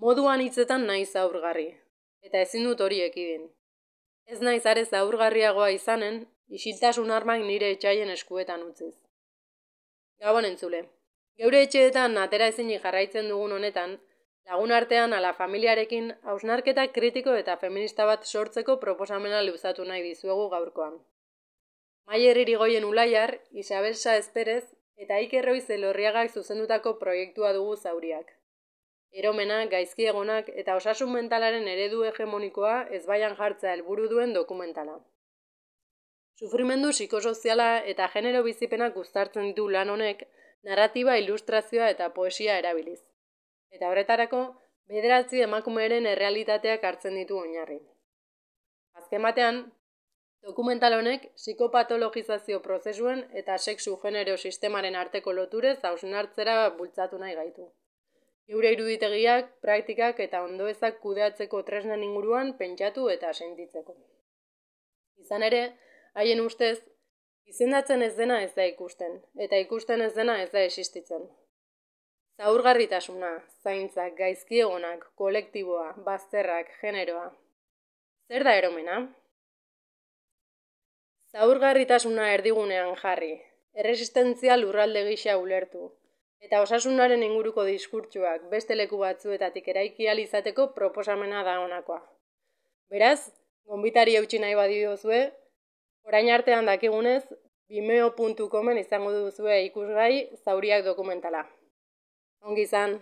Moduan hitzetan naiz zaurgarri, eta ezin dut hori ekidin. Ez naiz are zaurgarriagoa izanen, isiltasun armak nire etxaien eskuetan utziz. Gabon entzule, geure etxeetan atera ezinik jarraitzen dugun honetan, lagun artean ala familiarekin hausnarketa kritiko eta feminista bat sortzeko proposamena luzatu nahi dizuegu gaurkoan. Maier Irigoyen Ulaiar, Isabel Sáez Pérez eta Iker Roiz Elorriagak zuzendutako proiektua dugu zauriak. Eromenak, gaizkiegonak eta osasun mentalaren eredu hegemonikoa ezbaian jartzea helburu duen dokumentala. Sufrimendu psikosoziala eta genero bizipenak uztartzen ditu lan honek narratiba, ilustrazioa eta poesia erabiliz. Eta horretarako, 9 emakumeren errealitateak hartzen ditu oinarri. Azken batean, dokumental honek psikopatologizazio prozesuen eta sexu-genero sistemaren arteko loturez hausnartzera bultzatu nahi gaitu. Geure iruditegiak, praktikak eta ondoezak kudeatzeko tresnen inguruan pentsatu eta sentitzeko. Izan ere, haien ustez, izendatzen ez dena ez da ikusten, eta ikusten ez dena ez da existitzen. Zaurgarritasuna, zaintzak, gaizkiegonak, kolektiboa, bazterrak, generoa. Zer da eromena? Zaurgarritasuna erdigunean jarri, erresistentzia lurralde gisa ulertu, eta osasunaren inguruko diskurtsuak beste leku batzuetatik eraiki ahal izateko proposamena da honakoa. Beraz, gonbitari eutsi nahi badiozue, orain artean dakigunez, vimeo.comen izango duzue ikusgai zauriak dokumentala. Ongi izan!